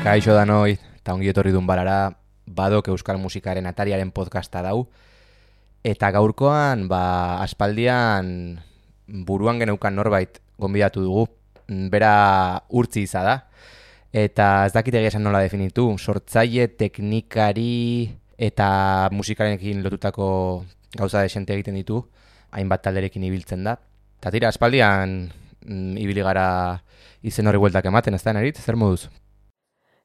Kaixo danoi, eta ongi etorri dun balara, badok euskal musikaren atariaren podcasta dau. Eta gaurkoan, aspaldian buruan geneukan norbait gonbidatu dugu, bera Urtzi iza da. Eta ez dakit egia esan nola definitu, sortzaile, teknikari eta musikarekin lotutako gauza desente egiten ditu, hainbat talderekin ibiltzen da. Eta tira, aspaldian ibili gara izen horri bueltak ematen, ez da, Nerit? Zer moduz?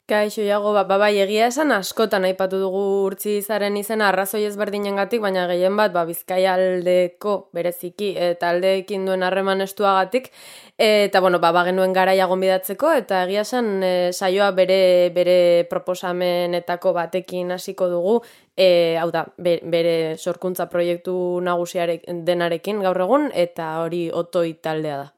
Kaixo, Iago, bai, egia esan askotan aipatu dugu Urtzi izaren izena arrazoi ezberdinengatik, baina gehien bat Bizkaia aldeko bereziki taldeekin duen harreman estuagatik, eta bagenuen garaia gonbidatzeko, eta egia esan saioa bere proposamenetako batekin hasiko dugu, hau da, bere sorkuntza proiektu nagusiaren denarekin gaur egun, eta hori Otoi taldea da.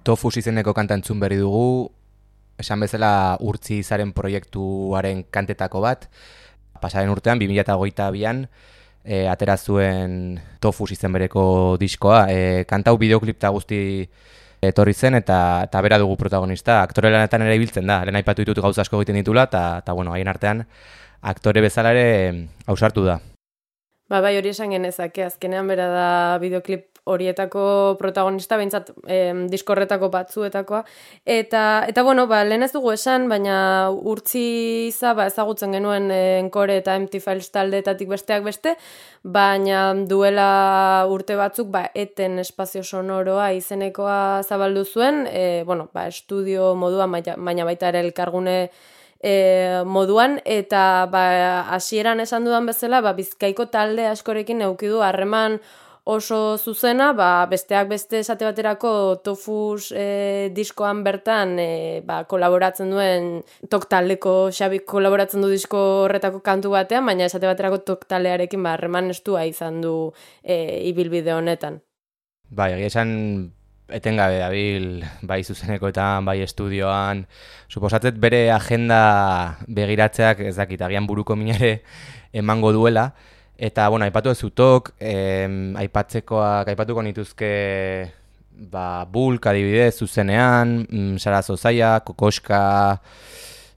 Tofus izeneko kanta entzun berri dugu, esan bezala Urtzi izaren proiektuaren kantetako bat. Pasaren urtean, 2022an, atera zuen Tofus izen bereko diskoa. Kanta hau bideoklip eta guzti etorri zen, eta bera dugu protagonista. Aktore lanetan ere ibiltzen da, lehen aipatu ditut gauza asko egiten ditula, eta bueno, haien artean aktore bezala ere ausartu da. Bai, hori esan genezake, azkenean bera da bideoklip horietako protagonista, behintzat diskorretako batzuetakoa. Eta bueno, lehen ez dugu esan, baina urtzi ezagutzen genuen Encore eta Empty Files taldeetatik besteak beste, baina duela urte batzuk eten espazio sonoroa izenekoa zabaldu zuen, estudio moduan, baina baita ere elkargune moduan, eta hasieran esan dudan bezala, Bizkaiko talde askorekin eduki du harreman oso zuzena, besteak beste esate baterako Tofus diskoan bertan kolaboratzen duen Tok taldeko Xabik kolaboratzen du disko horretako kantu batean, baina esate baterako Tok taldearekin harreman estua izan du ibilbide honetan. Egia esan etengabe dabil, bai zuzenekoetan, bai estudioan, suposatzet bere agenda begiratzeak ez dakit, agian buruko minare emango duela, eta, aipatu ez zutok, aipatuko nituzke, Bulk adibidez zuzenean, Sara Zozaia, Kokoska,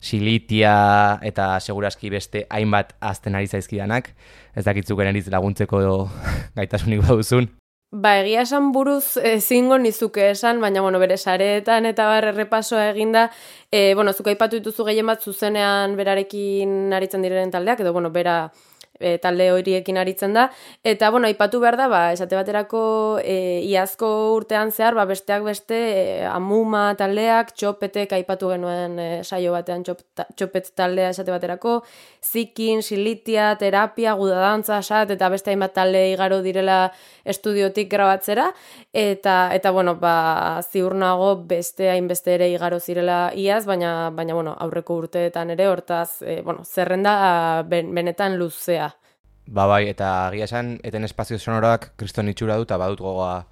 Silitia, eta seguraski beste hainbat azten ari zaizkidanak, ez dakitzuk eneriz laguntzeko gaitasunik baduzun. Egia esan buruz zingo nizuke esan, baina bere sareetan eta errepasoa eginda, zuk aipatu dituzu gehien bat zuzenean berarekin aritzen direnen taldeak, edo bera talde horiekin aritzen da, eta aipatu behar da, esate baterako iazko urtean zehar, besteak beste Amuma taldeak, Txopetek aipatu genuen saio batean Txopet taldea esate baterako, Zikin, Silitia, Terapia, Gudadantza, Sat, eta beste hainbat talde igaro direla estudiotik grabatzera, eta ziur nago beste hainbeste ere igaro zirela iaz, baina aurreko urteetan ere, hortaz, zerrenda benetan luzea. Eta agia esan, eten espazio sonoroak kriston itxura du, eta badut gogoa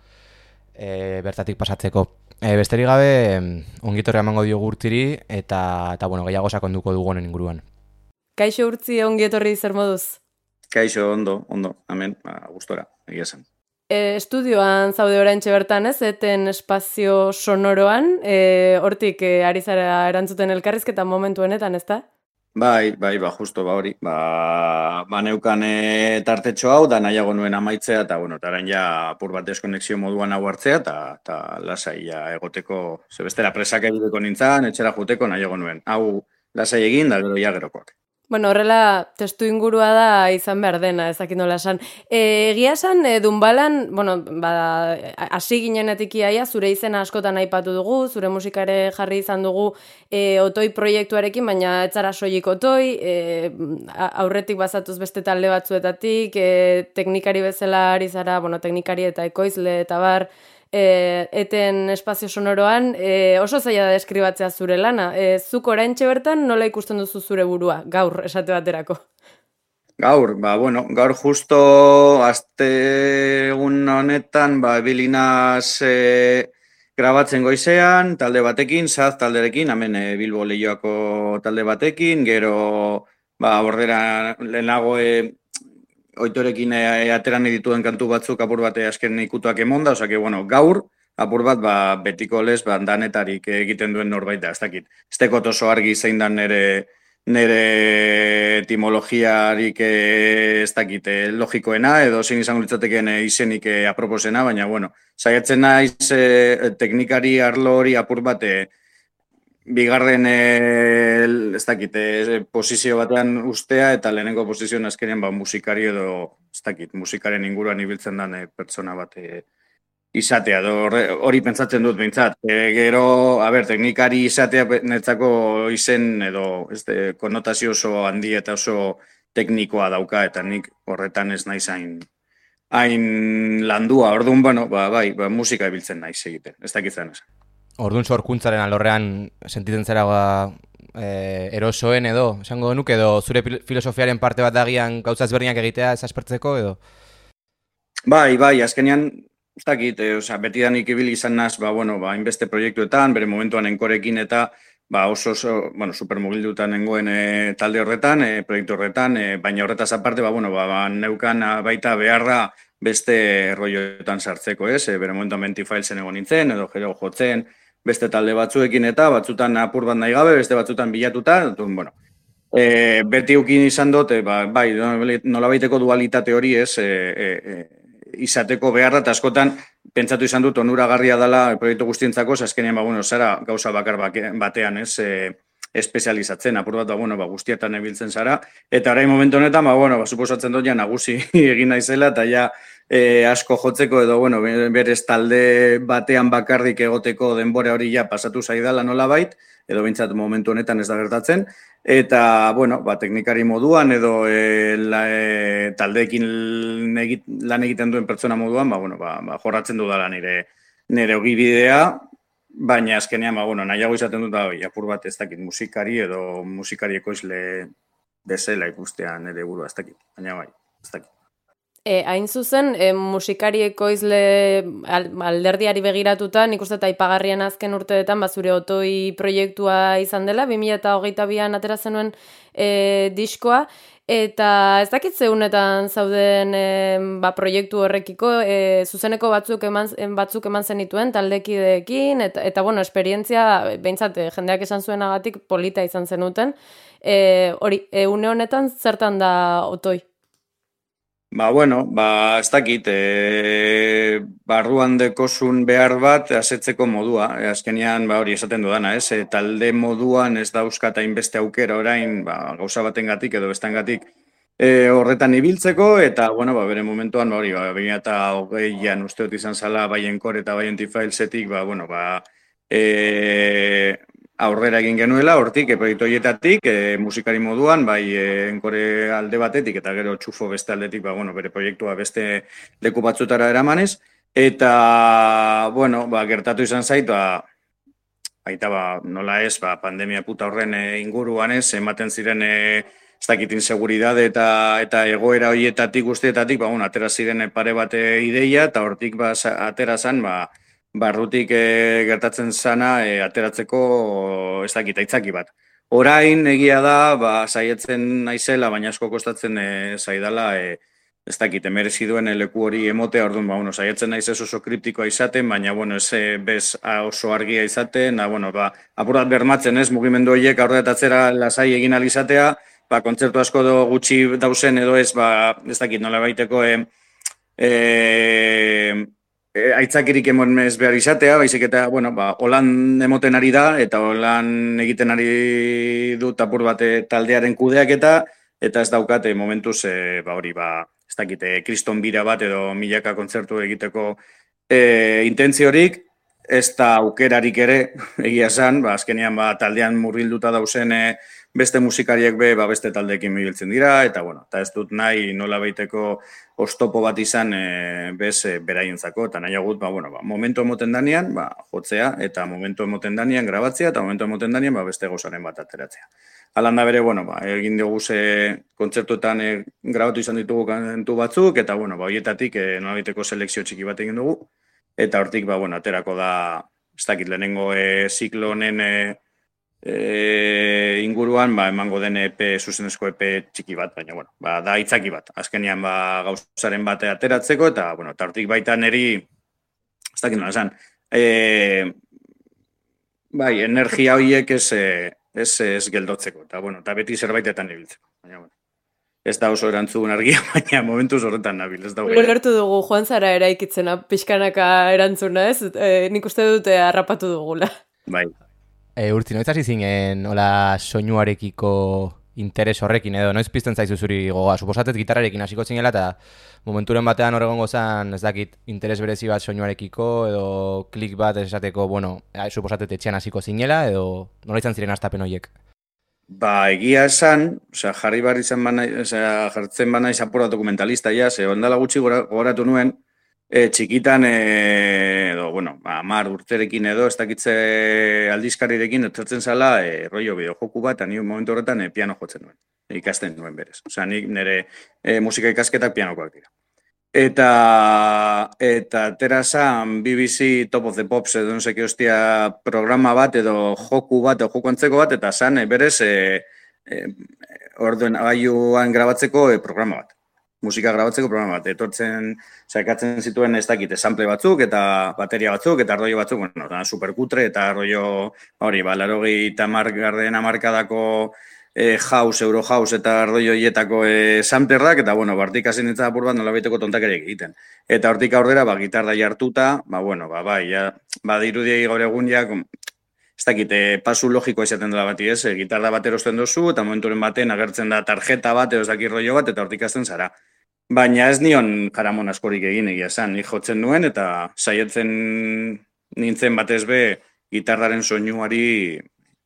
bertatik pasatzeko. Besterik gabe, ongitorra emango diogu Urtziri, eta gehiago sakonduko dugu honen inguruan. Kaixo Urtzi, ongietorri zer moduz? Kaixo, ondo, amen, gustora, egia esan. Estudioan zaude oraintxe bertan ez, eten espazio sonoroan, hortik ari zara erantzuten elkarrizketa momentu honetan, ez da? Bai, justo, hori. Neukan tartetxo hau, da nahiago nuen amaitzea, eta orain ja apur bat deskonexio moduan hau hartzea, eta lasai egoteko, zebestera presak egiteko nintzen, etxera juteko nahiago nuen. Hau lasai egin, da gero jagerokoak. Horrela, testu ingurua da izan behar dena, ezakit nola esan. Egia esan, Dunbalan, hasi ginenetik iaia, zure izena askotan aipatu dugu, zure musikare jarri izan dugu Otoi proiektuarekin, baina ez zara soilik Otoi, aurretik bazatuz beste talde batzuetatik, teknikari bezala ari zara, teknikari eta ekoizle eta bar, eten espazio sonoroan, oso zaila da deskribatzea zure lana. Zuk oraintxe bertan nola ikusten duzu zure burua, gaur esate baterako? Gaur, gaur justo aste egun honetan, bilinaz grabatzen goizean, talde batekin, Saz talderekin, hemen Bilbo Leioako talde batekin, gero, bordera lehenago Oitorekin ateran dituen kantu batzuk apur bat azken ikutuak emonda, gaur, apur bat betiko lez danetarik egiten duen norbait da, ez dakit. Ez dekot oso argi zein dan nire etimologiarik ez dakit logikoena, edo zein izango litzateken izenik aproposena, baina, saiatzen naiz teknikari arlo hori apur bat bigarren, ez dakit, posizio batean ustea, eta lehenengo posizioan azkenean musikari edo, ez dakit, musikaren inguruan ibiltzen den pertsona bat izatea, hori pentsatzen dut behintzat. Gero, teknikari izatea netzako izen edo konotazio oso handi eta oso teknikoa dauka, eta nik horretan ez naiz hain landua. Orduan, musika ibiltzen naiz egiten, ez dakitzen esan. Orduan sorkuntzaren alorrean sentitzen zera erosoen edo, esango nuke, edo zure filosofiaren parte bat dagian gauza ezberdinak egitea ez aspertzeko edo? Bai, azkenean, ez dakit, betidanik ibili izan naz, hainbeste proiektuetan, bere momentuan Enkorekin eta oso, supermugildutan nengoen talde horretan, proiektu horretan, baina horretaz aparte, neukan baita beharra beste rolloetan sartzeko, ez? Bere momentuan Mentifilesen egon nintzen, edo gero jotzen, beste talde batzuekin eta batzutan apur bat nahi gabe, beste batzutan bilatuta, bueno, beti ukin izan dut, bai, nolabaiteko dualitate hori ez, izateko beharra, eta askotan pentsatu izan dut onuragarria dela proiektu guztientzako, azkenean, bueno, zara gauza bakar batean, ez, espezializatzen, apur bat, bueno, guztietan ebiltzen zara, eta orain momentu honetan, bueno, suposatzen dut, ja, nagusi egin naizela, eta ja, asko jotzeko, edo, bueno, berez talde batean bakarrik egoteko denbora hori ja pasatu zaidala nolabait, edo bintzat momentu honetan ez da gertatzen, eta, bueno, teknikari moduan, edo taldeekin lan egiten duen pertsona moduan, bueno, jorratzen dudala nire ogibidea, baina azkenean, bueno, nahiago izaten dut, apur bat ez dakit musikari edo musikari ekoizle bezala ikustean nire burua ez dakit, baina bai, ez dakit. Hain zuzen, musikari ekoizle alderdiari begiratuta, nik uste eta aipagarrian azken urteetan, zure otoi proiektua izan dela, 2022an atera zenuen diskoa, eta ez dakit zeunetan zauden proiektu horrekiko, zuzeneko batzuk eman zenituen taldekideekin, eta bueno, esperientzia, behintzat, jendeak esan zuenagatik polita izan zenuten, hori, une honetan zertan da otoi? Bueno, ez dakit, barruan dekozun behar bat asetzeko modua, azkenean hori esaten dudana, ez? Talde moduan ez dauzkat hainbeste aukera orain, gauza batengatik edo bestengatik horretan ibiltzeko, eta, bueno, bere momentuan, hori, 2020an uste dut izan zala, bai Encore eta bai Mentifilsetik, bueno, aurrera egin genuela, hortik, proiektu horietatik, musikari moduan, bai Encore alde batetik, eta gero txufo beste aldetik, bueno, bere proiektua beste leku batzutara eramanez, eta, bueno, gertatu izan zait, baita, nola ez, pandemia puta horren inguruan ez, ematen ziren, ez dakit inseguridade eta egoera horietatik guztietatik, bueno, atera ziren pare bate ideia, eta hortik atera zan, barrutik gertatzen zana ateratzeko ez dakit aitzaki bat. Orain egia da, saietzen naizela, baina asko kostatzen zaidala, ez dakit, merezi duen leku hori emotea, orduan, bueno, saietzen naiz ez oso kriptikoa izaten, baina, bueno, ez bez oso argia izaten, bueno, apurat bermatzen ez, mugimendu horiek aurretatzera lasai egin alizatea, kontzertu asko gutxi dauzen edo ez, ez dakit, nola baiteko, aitzakirik emon ez behar izatea, baizik eta, bueno, holan emoten ari da, eta holan egiten ari dut apur bate taldearen kudeak eta ez daukate momentuz, hori, ez dakite, kriston bira bat edo milaka kontzertu egiteko intentziorik, ez da aukerarik ere, egia esan, azkenean taldean murgilduta dauzen beste musikariek beste taldeekin mibiltzen dira, eta bueno, eta ez dut nahi nola baiteko oztopo bat izan beraientzako, eta nahi agut, momentu emoten danean, jotzea, eta momentu emoten danean grabatzea, eta momentu emoten danean beste gauzaren bat ateratzea. Alanda bere, egin dugu kontzertuetan grabatu izan ditugu kantu batzuk, eta horietatik nola baiteko selekzio txiki bat egin dugu, eta hortik, aterako da, ez dakit lehenengo ziklo honen inguruan, emango den zuzenezko EP txiki bat, baina, da itzaki bat. Azkenean, gauzaren bate ateratzeko, eta, eta hortik baita neri, ez dakit nola esan, energia horiek ez geldotzeko, eta beti zerbaitetan ibiltzeko. Baina, ez da oso erantzun argia, baina momentuz horretan nabil, ez da hori. Lertu dugu, Joan Zara eraikitzena, pixkanaka erantzuna, ez? Nik uste dute harrapatu dugula. Bai. Urtzi, noiz hasi zinen hola soinuarekiko interes horrekin edo, noiz pizten zaizu zuri gogoa? Suposatet gitarrarekin hasiko zinela eta momenturen batean horregongo zan, ez dakit, interes berezi bat soinuarekiko edo klik bat esateko, suposatet etxean hasiko zinela edo nola izan ziren hastapen horiek? Egia esan, jarri barri zen jartzen bana izapura dokumentalista, ondala gutxi goratu nuen, txikitan, edo, 10 urterekin edo, ez dakitze aldizkarirekin, etortzen zala, rollo bideojoku bat, eta ni momentu horretan piano jotzen nuen, ikasten nuen berez. Nik nire musika ikasketak pianokoak dira. Eta atera zan BBC Top of the Pops edo nuseki hostia programa bat edo joku bat edo joku antzeko bat, eta zan berez orduen agailuan grabatzeko programa bat. musika grabatzeko programa bat, etortzen, saikatzen zituen ez dakit, sample batzuk, eta bateria batzuk, eta arroio batzuk, bueno, da, superkutre, eta arroio, hori, larogei tamargarden amarkadako house, euro house, eta arroio hietako samplerrak, eta, bueno, bartik hasi nintzen apur bat nolabiteko tontakeriak egiten. Eta hortik aurrera, gitarra jartuta, bueno, bai, ja, dirudiei gaur egun, ja, ez dakit, pasu logikoa izaten dela bati, ez? Gitarra bat erosten duzu, eta momenturen baten agertzen da tarjeta bat, edo ez dakit rollo bat, eta hortik azten zara. Baina ez nion jaramon askorik egin egia esan, nik jotzen nuen, eta saietzen nintzen batez be, gitarraren soinuari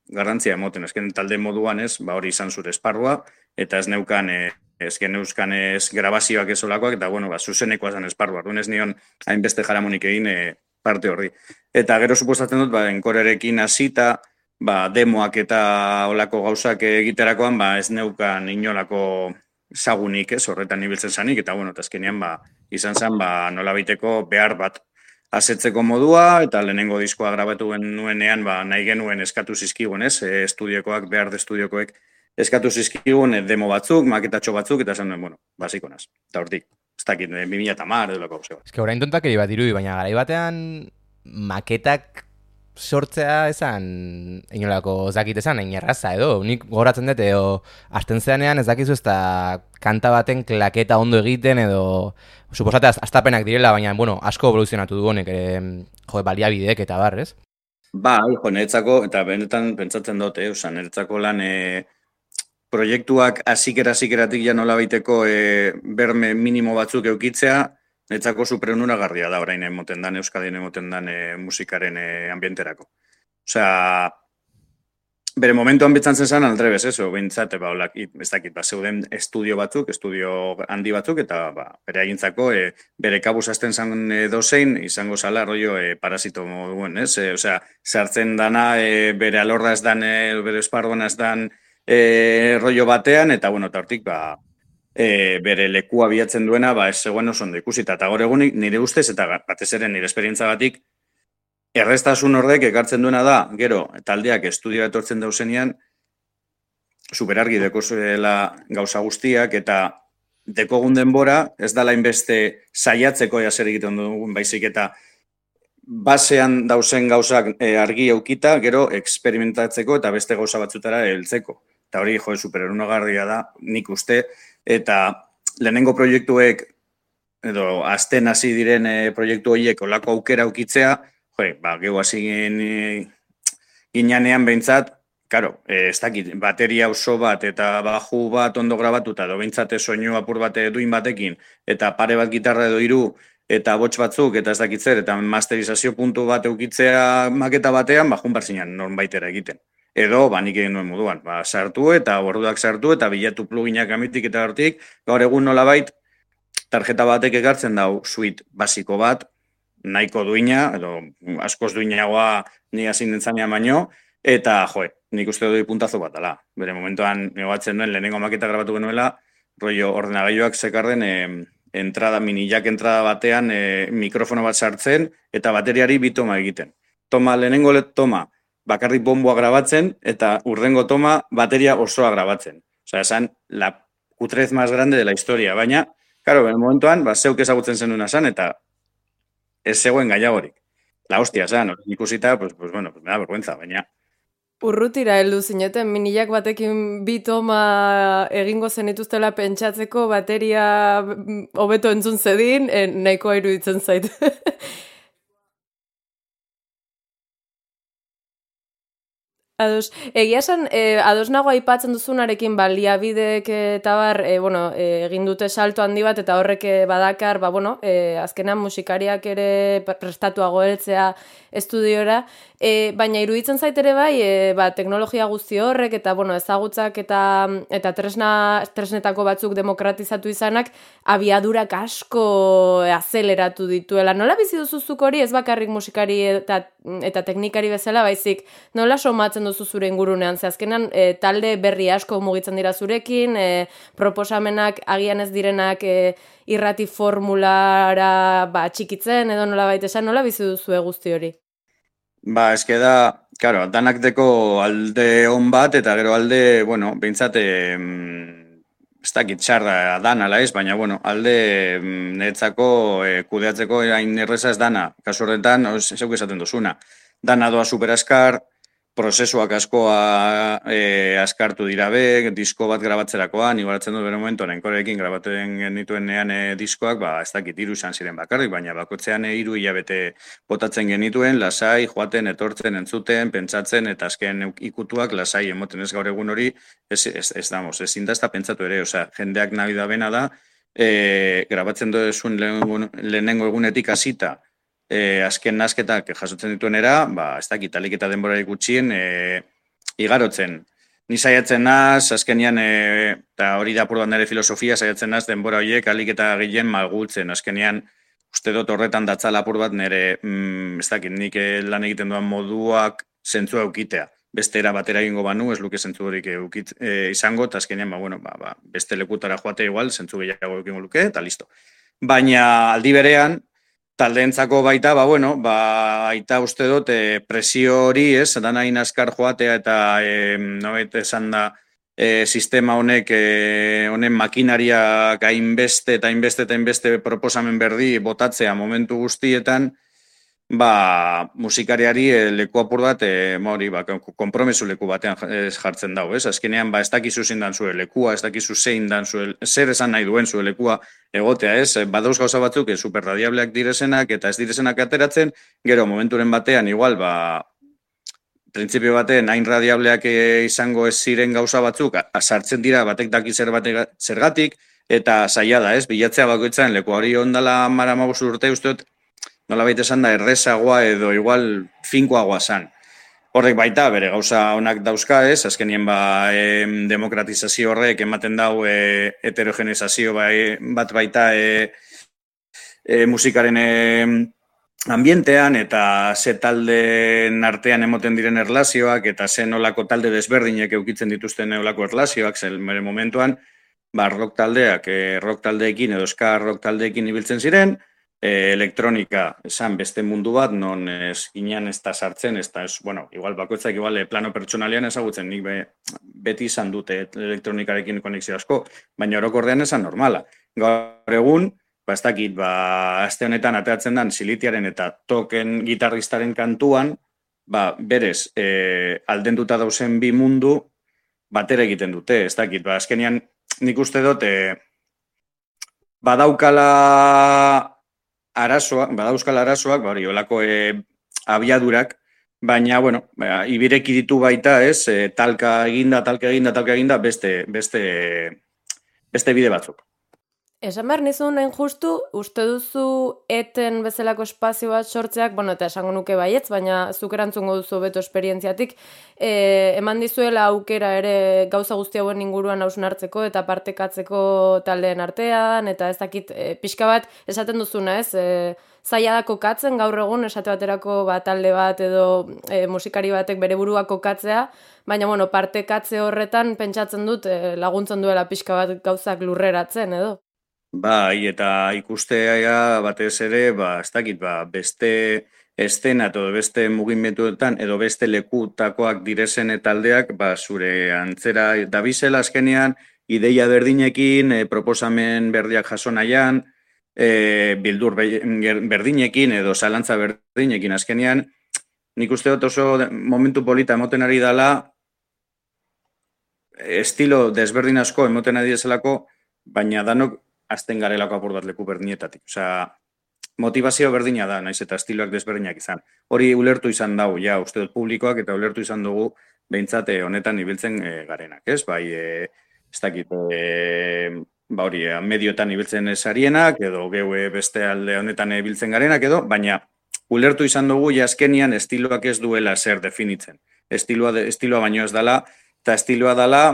garrantzia emoten. Ezken talde moduan ez, hori izan zure esparrua, eta ez neukan, grabazioak ezolakoak, eta bueno, zuzenekoa zen esparrua. Arduan ez nion hainbeste jaramonik egin parte horri. Eta gero suposatzen dut, enkorerekin hasita, demoak eta olako gauzak egiterakoan, ez neukan inolako zagunik, ez, horretan ibiltzen zanik, eta bueno, eta azkenean, izan zen, nola baiteko behar bat asetzeko modua, eta lehenengo diskoa grabatu nuenean, nahi genuen eskatu zizkigun, ez, estudiokoak, behar de estudiokoek eskatu zizkigun, demo batzuk, maketatxo batzuk, eta esan duen, bueno, basiko naz, eta hortik. Ez dakit, 2010 edo lako gauze bat. Ez que orain tontakeri bat dirudi, baina garai batean maketak sortzea esan, inolako ez dakit esan, erraza edo, nik goratzen dut, edo hasten zeanean ez dakizu ez da kanta baten klaketa ondo egiten, edo suposate astapenak direla, baina, bueno, asko evoluzionatu du honek, baliabideek eta bar, ez? Niretzako, eta benetan pentsatzen dut, niretzako lan proiektuak azikeratik ja nola baiteko berme minimo batzuk eukitzea, niretzako superonuragarria da orain emoten dan, Euskadien emoten dan musikaren ambienterako. Osea, bere momentuan betzantzen zen aldrebez, behintzat, ez dakit, zeuden estudio batzuk, estudio handi batzuk, eta bere agintzako, bere kabuz azten zen dozein, izango zala, rollo, parasito moduen, ez? Osea, sartzen dana, bere alorra ez dan, bere esparruan ez dan, rollo batean, eta bueno, eta hortik bere lekua bilatzen duena ez zegoen oso ondo ikusita, eta gaur egunik nire ustez, eta batez ere nire esperientzagatik, erreztasun horrek ekartzen duena da, gero, taldeak estudioa etortzen dauzenean, superargi deko zuela gauza guztiak, eta dekogun denbora, ez dala inbeste saiatzeko jaser egiten dugun baizik, eta basean dauzen gauzak argi eukita, gero eksperimentatzeko eta beste gauza batzutara heltzeko. Eta hori, supererunagarria da, nik uste, eta lehenengo proiektuek, edo azten hasi diren proiektu horiek olako aukera aukitzea, gehu hasi ginanean behintzat, karo, ez dakit, bateria oso bat eta baju bat ondo grabatuta, edo behintzat soinu apur bat duin batekin, eta pare bat gitarra edo hiru, eta bots batzuk, eta ez dakit zer, eta masterizazio puntu bat eukitzea maketa batean, jun barzinan norbaitera egiten. Edo, nik egin nuen moduan, sartu eta borduak sartu eta bilatu pluginak amitik eta hortik, gaur egun nolabait, tarjeta batek ekartzen dau suite basiko bat, nahiko duina, edo askoz duinagoa ni hasi nintzanean baino, eta nik uste dut puntazo bat dela. Bere momentuan negoatzen duen, lehenengo maketa grabatu genuela, rollo ordenagailuak sekarren minijak entrada batean mikrofono bat sartzen eta bateriari bi toma egiten. Lehenengo toma, bakarrik bomboa grabatzen, eta urrengo toma, bateria osoa grabatzen. Osea, esan, la kutrez más grande de la historia. Baina, karo, ben momentuan, zeuk ezagutzen zenuna zan, eta ez zegoen gaiagorik. La hostia, zan, ikusita, bueno, me da vergüenza, baina. Urrutira heldu zineten, minilak batekin bi toma egingo zenituztela pentsatzeko, bateria hobeto entzun zedin, nahikoa iruditzen zait. Ados, egia esan, ados nago aipatzen duzunarekin baliabidek eta bar, egin dute salto handi bat, eta horrek badakar, azkenan musikariak ere prestatuago heltzea estudiora, baina iruditzen zait ere bai, teknologia guzti horrek, eta ezagutzak eta tresnetako batzuk demokratizatu izanak, abiadurak asko azeleratu dituela. Nola bizi duzuzuk hori, ez bakarrik musikari eta teknikari bezala, baizik, nola somatzen duzu zure ingurunean, ze azkenan talde berri asko mugitzen dira zurekin, proposamenak agian ez direnak irrati formulara txikitzen, edo nola baita esan, nola bizi duzu guzti hori? Eske da, karo, danak deko alde on bat, eta gero alde, behintzat, ez dakit txarra dan ala ez, baina bueno, alde niretzako kudeatzeko hain erreza ez dana, kasu horretan, zeuk esaten duzuna, dana doa superaskar, prozesuak askoa askartu dira be, disko bat grabatzerakoan, igualatzen dut bere momentuan, enkorekin grabatzen genituenean diskoak, ez dakit 3 izan ziren bakarrik, baina bakotzean 3 hilabete botatzen genituen, lasai, joaten, etortzen, entzuten, pentsatzen, eta azken ikutuak lasai emoten ez gaur egun hori, ezin da ez da pentsatu ere, osea, jendeak nahi da bena da, grabatzen duzun lehenengo egunetik hasita, azken nazketak jasotzen dituenera, ez dakit, alik eta denbora gutxien igarotzen. Ni saiatzen naz, azkenian, eta hori da apur bat nire filosofia, saiatzen naz denbora horiek alik eta gehien malgultzen. Azkenian, uste dut horretan datzala apur bat nire, ez dakit, nik lan egiten duan moduak zentzua eukitea. Beste era batera egingo banu, ez luke zentzu horik izango, eta azkenean, beste lekutara joate igual, zentzu gehiago eukingo luke, eta listo. Baina aldi berean, taldeentzako baita, aita uste dut presio hori, ez, dana inaskar joatea eta nobait esan da sistema honek, honen makinariak hainbeste eta hainbeste proposamen berdi botatzea momentu guztietan, musikariari leku apur bat, konpromesu leku batean jartzen dago, ez? Azkenean, ez dakizu zein dan zure lekua, ez dakizu zein dan zer esan nahi duen zure lekua egotea, ez? Badauz gauza batzuk, superradiableak direzenak eta ez direzenak ateratzen, gero momenturen batean, igual, printzipio batean, hain radiableak izango ez ziren gauza batzuk, sartzen dira batek daki zergatik, eta zaila da, ez? Bilatzea bakoitzaren leku hori ondala 15 urte usteot, nola baita esan da errezagoa edo igual finkoagoa zan. Horrek baita, bere gauza onak dauzka ez, azkenien demokratizazio horrek ematen dau heterogenizazio bat baita musikaren ambientean eta ze taldeen artean emoten diren erlazioak eta ze nolako talde desberdinek eukitzen dituzten nolako erlazioak, zen bere momentuan, rock taldeekin edo ska rock taldeekin ibiltzen ziren, elektronika, esan beste mundu bat, non ez ginean ez da sartzen, igual bakoitzak plano pertsonalian ezagutzen, nik beti izan dute elektronikarekin konexio asko, baina orokorrean esan normala. Gaur egun, ez dakit, aste honetan ateatzen den Silitiaren eta Token gitarristaren kantuan, berez, aldenduta dauzen bi mundu, batera egiten dute, ez dakit, azkenian nik uste dut, badauzkala arazoak, hori, olako abiadurak, baina, ibireki ditu baita, ez, talka eginda, beste bide batzuk. Esan behar nizun hain justu, uste duzu eten bezalako espazio bat sortzeak, eta esango nuke baietz, baina zuk erantzungo duzu beto esperientziatik, eman dizuela aukera ere gauza guzti hauen inguruan hausnartzeko eta partekatzeko taldeen artean, eta ez dakit pixka bat esaten duzuna, ez? Zaila da kokatzen gaur egun esate baterako talde bat edo musikari batek bere burua kokatzea, baina partekatze horretan pentsatzen dut laguntzen duela pixka bat gauzak lurreratzen edo. Bai, eta ikustea batez ere, ez dakit, beste estena edo beste mugimenduetan edo beste lekutakoak direzen taldeak, zure antzera dabizela azkenean, ideia berdinekin, proposamen berdiak jaso nahian, bildur berdinekin edo zalantza berdinekin azkenean, nik uste dut oso momentu polita emoten ari dela, estilo desberdin asko emoten ari dezelako, baina danok azten garelako apur bat leku berdinetatik. Osea, motivazio berdina da, naiz eta estiloak desberdinak izan. Hori ulertu izan dau, uste dut publikoak eta ulertu izan dugu behintzat honetan ibiltzen garenak, ez? Bai, ez dakit, hori, medioetan ibiltzen esarienak, edo geue beste alde honetan ibiltzen garenak, edo, baina ulertu izan dugu azkenian estiloak ez duela zer definitzen. Estiloa baino ez dela, eta estiloa dela,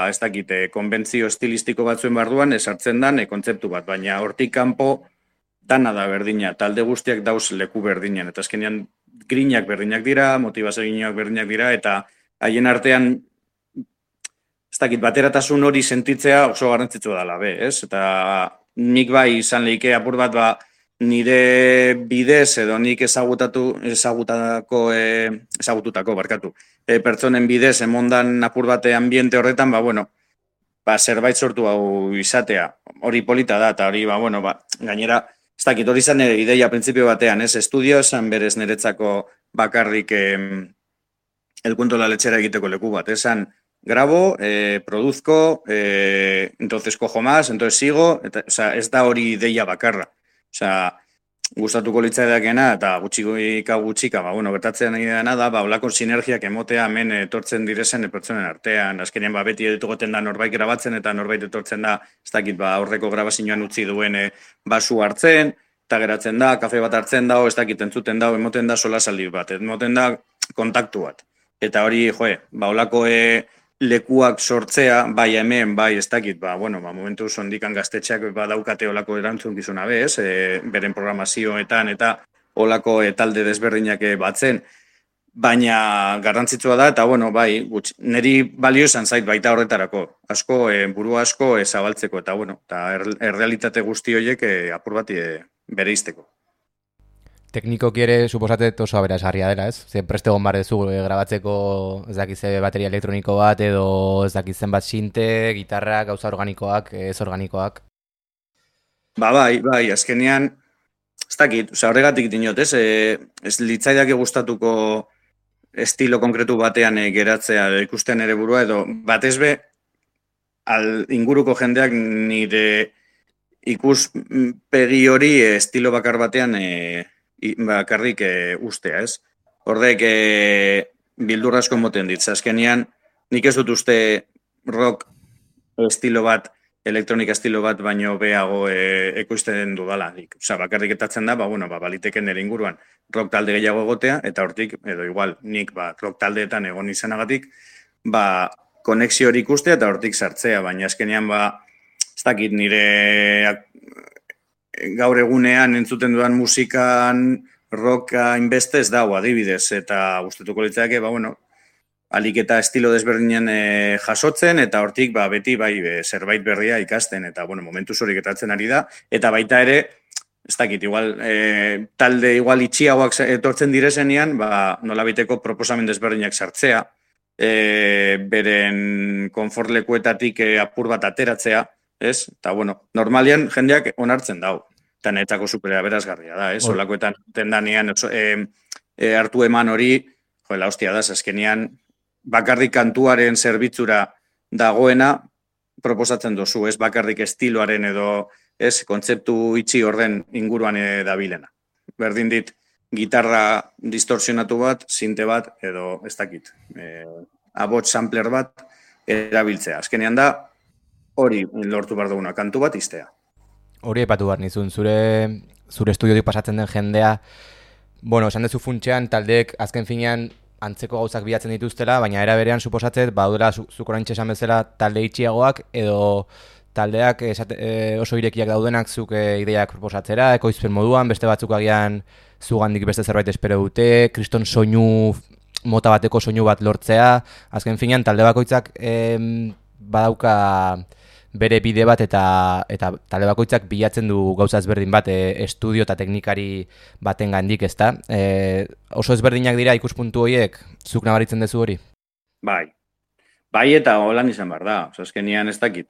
ez dakite, konbentzio estilistiko batzuen barruan esartzen dan kontzeptu bat, baina hortik kanpo dana da berdina, talde guztiak dauz leku berdinean, eta azkenean grinak berdinak dira, motivazioak berdinak dira, eta haien artean, ez dakit, bateratasun hori sentitzea oso garrantzitsua dela, ez? Eta nik bai izan lehike apur bat, nire bidez edo nik ezagututako, pertsonen bidez emondan apur bate ambiente horretan, zerbait sortu hau izatea. Hori polita da, eta hori, bueno, gainera, ez dakit, hori izan nire ideia printzipio batean, ez? Estudio esan berez niretzako bakarrik el cuento de la lechera egiteko leku bat, esan grabo, produzco, entonces cojo más, entonces sigo, o sea, ez da hori ideia bakarra. O sea, gustatuko litzaidakena eta gutxika, bueno, gertatzen nahi dena da, olako sinergiak emotea hemen etortzen direzen pertsonen artean, azkenean beti egoten da norbait grabatzen eta norbait etortzen da, ez dakit, aurreko grabazioan utzi duen basu hartzen, eta geratzen da, kafe bat hartzen da, ez dakit, entzuten da, emoten da solasaldi bat, emoten da kontaktu bat. Eta hori, olako lekuak sortzea, bai hemen, bai ez dakit, bueno, momentu sondikan gaztetxeak daukate olako erantzunkizuna bez, beren programazioetan eta olako talde desberdinak batzen, baina garrantzitsua da, eta bueno, bai, niri balio esan zait baita horretarako, asko, buru asko zabaltzeko, eta bueno, eta errealitate guzti horiek apur bat bereizteko. Teknikoki ere, suposatet oso aberasgarria dela, ez? Ze preste egon bar dezu grabatzeko ez dakize bateria elektroniko bat edo ez dakizen bat sinte, gitarra, gauza organikoak, ez organikoak. Bai, azkenean, ez dakit, horregatik dinot, ez? Ez litzaidak gustatuko estilo konkretu batean geratzea ikusten ere burua, edo batez be, inguruko jendeak nire ikuspegi hori estilo bakar batean bakarrik ustea, ez? Horrek bildur asko moten ditza. Azkenean, nik ez dut uste rock estilo bat, elektronika estilo bat, baino behago ekoizten dudala. Osa, bakarrik etatzen da, bueno, baliteken nire inguruan rock talde gehiago egotea, eta hortik, edo igual, nik rock taldeetan egon izanagatik, konexio hori ikustea eta hortik sartzea, baina azkenean, ez dakit nire gaur egunean entzuten dudan musikan rocka inbeste ez dago adibidez, eta gustatuko litzake, bueno, alik eta estilo desberdinen jasotzen, eta hortik beti zerbait berria ikasten, eta bueno, momentu zorik etatzen ari da, eta baita ere, ez dakit, igual, talde igual itxiagoak etortzen direzenean, nolabiteko proposamen desberdinak sartzea, beren konfortlekuetatik apur bat ateratzea, ez? Eta, bueno, normalian jendeak onartzen dau. Eta netzako supera berazgarria da, ez? Olakoetan tendanean hartu eman hori, la hostia da, azkenean bakarrik kantuaren zerbitzura dagoena proposatzen dozu, ez? Bakarrik estiloaren edo, ez? Kontzeptu itxi orden inguruan dabilena. Berdin dit, gitarra distorsionatu bat, sinte bat, edo ez dakit, abots sampler bat erabiltzea. Azkenean da, hori lortu behar duguna, kantu bat iztea. Hori epatu behar nizun, zure estudiotik pasatzen den jendea, bueno, esan dezu funtxean, taldeek azken finean antzeko gauzak bilatzen dituztela, baina era berean suposatzet, badura zuk oraintxe esan bezala talde itxiagoak, edo taldeak oso irekiak daudenak zuk ideiak proposatzera, ekoizpen moduan, beste batzuk agian zugandik beste zerbait espero dute, kriston soinu, mota bateko soinu bat lortzea, azken finean talde bakoitzak badauka bere bide bat eta talde bakoitzak bilatzen du gauza ezberdin bat estudio eta teknikari baten gandik, ezta? Oso ezberdinak dira ikuspuntu horiek, zuk nabaritzen duzu hori? Bai eta holan izan behar da, azkenean ez dakit.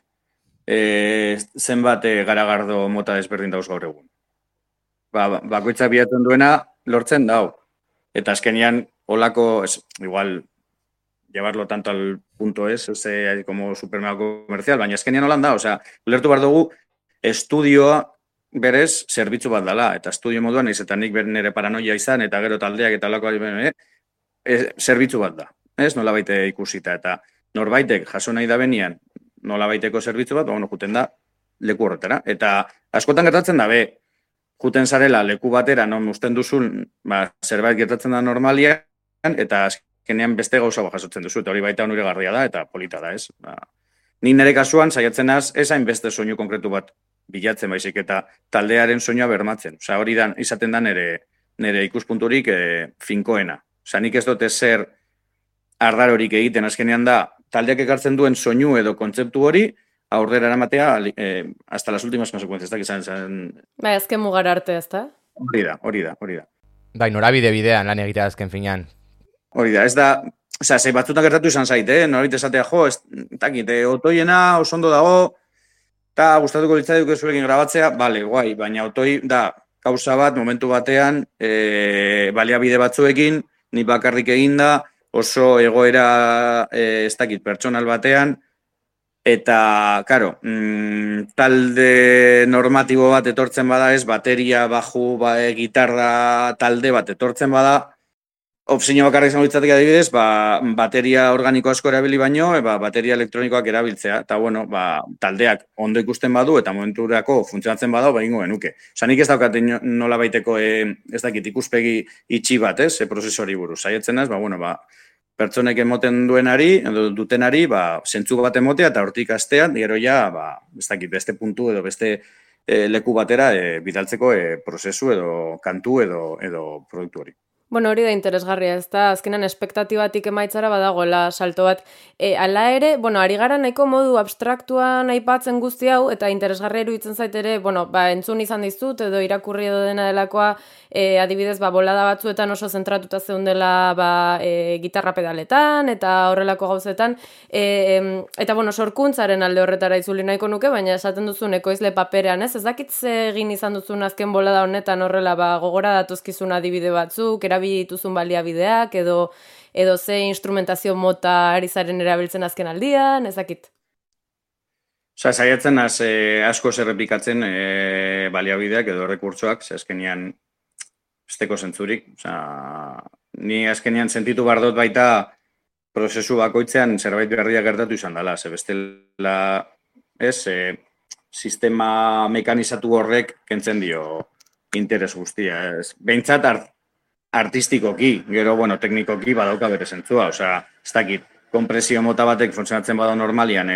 Zenbat garagardo mota ezberdin dauz gaur egun. Bakoitzak bilatzen duena lortzen dau. Eta azkenean holako, igual, llevarlo tanto al punto es, como supermercado comercial, baina azkenean holan da, ulertu behar dugu, estudioa berez zerbitzu bat dela, eta estudio moduan izetan nik nire paranoia izan, eta gero taldeak eta holako zerbitzu bat da, ez, nola baite ikusita, eta norbaitek jaso nahi da benian, nola baiteko zerbitzu bat, juten da leku horretara, eta askotan gertatzen da, juten zarela leku batera, non usten duzun, zerbait gertatzen da normalian, eta azkenean beste gauza jasotzen duzu, eta hori baita onuragarria da, eta polita da, ez? Ni nire kasuan, saiatzen az, ez hainbeste soinu konkretu bat bilatzen baizik, eta taldearen soinua bermatzen. Hori da, izaten da nire ikuspunturik finkoena. Nik ez dute zer ardarorik egiten, azkenean da, taldeak ekartzen duen soinu edo kontzeptu hori, aurrera eramatea, hasta las últimas consecuencias, ez da, izan... azken mugar arte, ez da? Hori da. Bai, norabide bidean lan egitea azken finean. Hori da, ez da, Osea, zei batzutan gertatu izan zaite, norit esatea, jo, ez dakit, otoiena oso ondo dago, eta gustatuko litzaiduke zurekin grabatzea, bale, guai, baina otoi da gauza bat momentu batean baliabide batzuekin, ni bakarrik eginda, oso egoera ez dakit pertsonal batean, eta, karo, talde normatibo bat etortzen bada ez, bateria, baju, gitarra talde bat etortzen bada, opzio bakarrik izango litzatek adibidez, bateria organiko asko erabili baino, bateria elektronikoak erabiltzea. Eta, bueno, taldeak ondo ikusten badu eta momenturako funtzionatzen badau, ingo genuke. Osa, nik ez daukate nola baiteko, ez dakit, ikuspegi itxi bat, prozesori buruz. Saietzen ez, pertsonek emoten duenari, edo dutenari, zentzu bat emotea eta hortik astean, gero ja, ez dakit, beste puntu edo beste leku batera bidaltzeko prozesu edo kantu edo produktu hori. Bueno, hori da interesgarria, ez da, azkenan espektatibatik emaitzara badagoela salto bat. Hala ere, bueno, ari gara nahiko modu abstraktuan aipatzen guzti hau, eta interesgarria iruditzen zait ere, bueno, entzun izan dizut, edo irakurri edo dena delakoa, adibidez, bolada batzuetan oso zentratuta zeundela gitarra pedaletan, eta horrelako gauzetan, eta, bueno, sorkuntzaren alde horretara itzuli nahiko nuke, baina esaten duzun ekoizle paperean, ez dakit ze egin izan duzun azken bolada honetan horrela, gogora datuzkizun adibide batzuk, erabili dituzun baliabideak, edo ze instrumentazio mota ari zaren erabiltzen azken aldian, ezakit. Osa, saiatzen asko errepikatzen baliabideak edo rekurtsoak, azkenean besteko zentzurik. Osa, ni azkenean sentitu bardot baita prozesu bakoitzean zerbait berria gertatu izan dela, ze bestela sistema mekanizatu horrek kentzen dio interes guztia. Behintzat artistikoki, gero, bueno, teknikoki badauka bere zentzua, osea, ez dakit, konpresio mota batek funtzionatzen bada normalian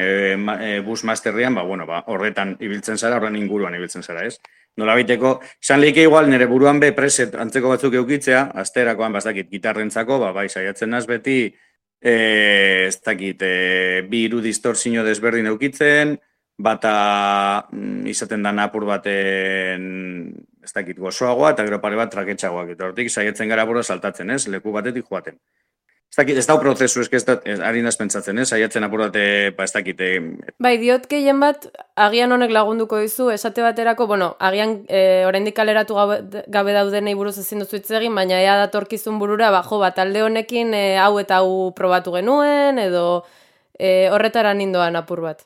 bus masterrian, horretan ibiltzen zara, horren inguruan ibiltzen zara, ez? Nola baiteko, izan lehike igual nire buruan preset antzeko batzuk eukitzea, asterakoan, ez dakit, gitarrentzako, saiatzen naz beti, ez dakit, bi hiru distorsio desberdin eukitzen, bata izaten da apur baten ez dakit gozoagoa eta gero pare bat traketxagoak. Eta hortik saiatzen gara bora saltatzen, ez? Leku batetik joaten. Ez dakit, ez dau prozesu, ari naz pentsatzen, ez? Saiatzen apur bate, ez dakit. Bai, diot gehien bat, agian honek lagunduko dizu, esate baterako, bueno, agian oraindik kaleratu gabe daudenei buruz ezin duzu hitz egin, baina ea datorkizun burura, talde honekin hau eta hau probatu genuen, edo horretara nindoan apur bat.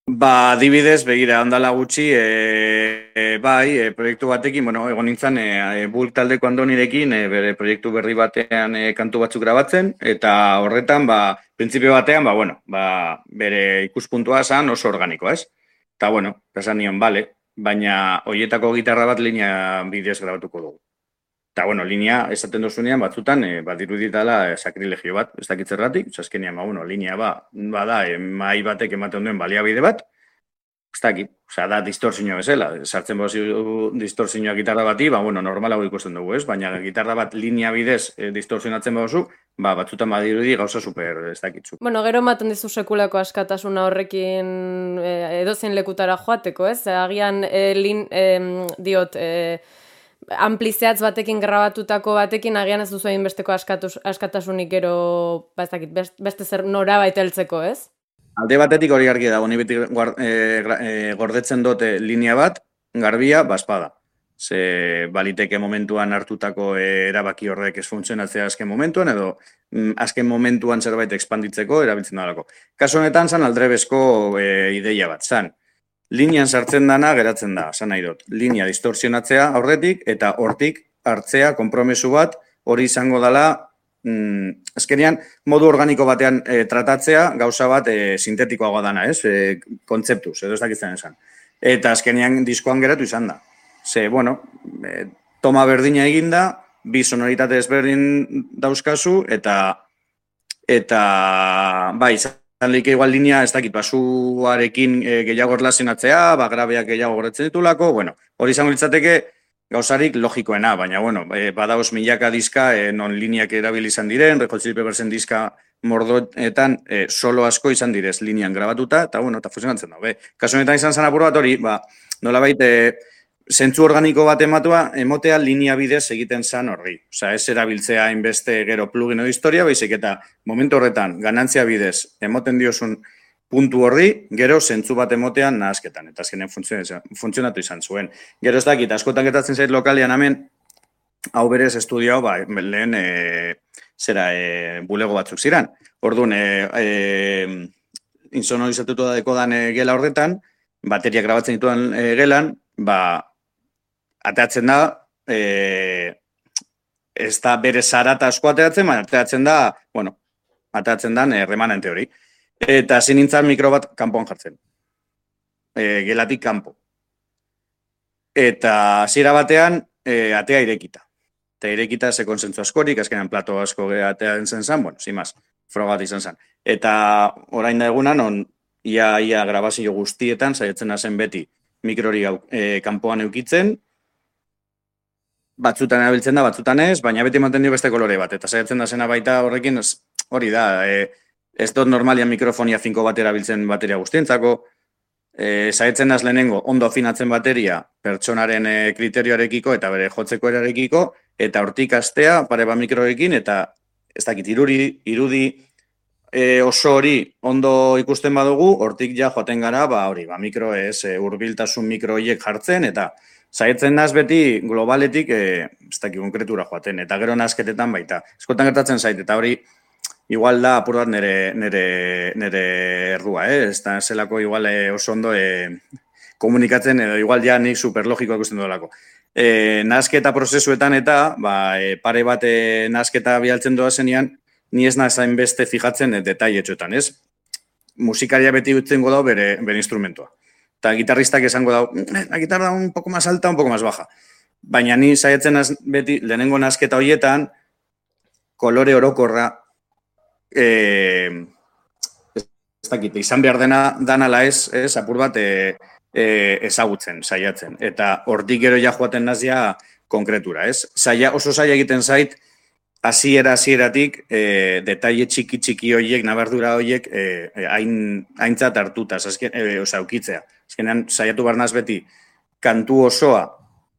Adibidez, begira, ondala gutxi, proiektu batekin, egon nintzen, Bulk taldeko Andonirekin, bere proiektu berri batean kantu batzuk grabatzen, eta horretan, printzipio batean, bere ikuspuntua zan oso organikoa, ez? Eta, esan nion, bale, baina hoietako gitarra bat linea bidez grabatuko dugu. Eta, linea, esaten dozunean, batzutan, diruditala sakrilegio bat, ez dakit zergatik, azkenean, linea bada, mai batek ematen duen baliabide bat, ez dakit, da distortzioa bezala, sartzen bozu distortzioa gitarra bati, normalago ikusten dugu, ez? Baina gitarra bat linea bidez distortzionatzen bozu, batzutan badirudi gauza super, ez dakitzu. Gero ematen dizu sekulako askatasuna horrekin edozein lekutara joateko, ez? Agian, diot, amplizeatz batekin grabatutako batekin agian ez duzu egin besteko askatasunik gero, beste zer nora baiteltzeko, ez? Alde batetik hori argi dago, ni beti gordetzen dute linea bat, garbia, espada. Ze baliteke momentuan hartutako erabaki horrek ez funtzionatzea azken momentuan, edo azken momentuan zerbait expanditzeko erabiltzen dalako. Kasu honetan zan aldrebezko ideia bat, zan. Linean sartzen dana geratzen da, zan nahi dut. Linea distorsionatzea aurretik eta hortik hartzea konpromesu bat hori izango dela azkenean modu organiko batean tratatzea gauza bat sintetikoagoa dana, ez? Kontzeptuz, edo ez dakitzen esan. Eta azkenean diskoan geratu izan da. Ze, toma berdina eginda, bi sonoritate ezberdin dauzkazu eta Zanleike igual linea, ez dakit, basuarekin gehiago erlazionatzea, grabeak gehiago gorretzen ditulako, hori izango litzateke gauzarik logikoena, baina, badauz milaka diska non lineak erabili izan diren, Red Hot Chili Peppersen diska mordoetan solo asko izan direz linean grabatuta, eta funtzionatzen da. Kasu honetan izan zen apur bat hori, nolabait zentzu organiko bat emotea linea bidez egiten zan horri. Osea, ez erabiltzea hainbeste gero plugin edo historia, baizik eta momentu horretan ganantzia bidez emoten diozun puntu horri, gero zentzu bat emotean nahasketan, eta azkenen funtzionatu izan zuen. Gero ez dakit, askotan gertatzen zait lokalian hemen, hau berez estudiao, lehen bulego batzuk ziren. Orduan, insonorizatutu da dekodan gela horretan, bateria grabatzen dituan gelan, ateatzen da, ez da bere zarata asko ateatzen, baina ateatzen da, ateatzen da remanente hori. Eta zin nintzen mikro bat kanpoan jartzen. Gelatik kanpo. Eta zira batean, atea irekita. Eta irekita ze konzentzu askorik, azkenean plato asko atean zen zen, sin más, frogat izan zen. Eta orain da egunan, ia grabazio guztietan, saiatzen hazen beti mikrori kanpoan eukitzen, batzutan erabiltzen da, batzutan ez, baina beti ematen dio beste kolore bat. Eta saiatzen da zena baita horrekin, hori da, ez dut normalian mikrofonia finko bat erabiltzen bateria guztientzako, saiatzen az lehenengo ondo afinatzen bateria pertsonaren kriterioarekiko eta bere jotzeko erarekiko, eta hortik astea pare bat mikroekin, eta ez dakit irudi oso hori ondo ikusten badugu, hortik ja joaten gara, mikro ez, hurbiltasun mikroiek jartzen, eta saiatzen naz beti globaletik, ez dakit konkretura joaten, eta gero nazketetan baita. Eskotan gertatzen zait, eta hori igual da apur bat nire errua, ez da zelako igual oso ondo komunikatzen, edo igual ja nik superlogikoa ikusten dolako. Nazketa prozesuetan eta, pare bat nazketa bialtzen doa zenean, ni ez nazain beste fijatzen detailetxoetan, ez? Musikaria beti utzen godau bere instrumentua. Eta gitarristak esango dau, la gitarra un poco más alta, un poco más baja. Baina ni saiatzen beti lehenengo nazketa horietan, kolore orokorra, ez dakit, izan behar danala ez, apur bat ezagutzen, saiatzen. Eta hortik gero ja joaten nazia konkretura, ez? Oso saia egiten zait, hasieratik detaile txiki horiek, nabardura horiek aintzat hartuta, ukitzea. Azkenean, saiatu barnaz beti, kantu osoa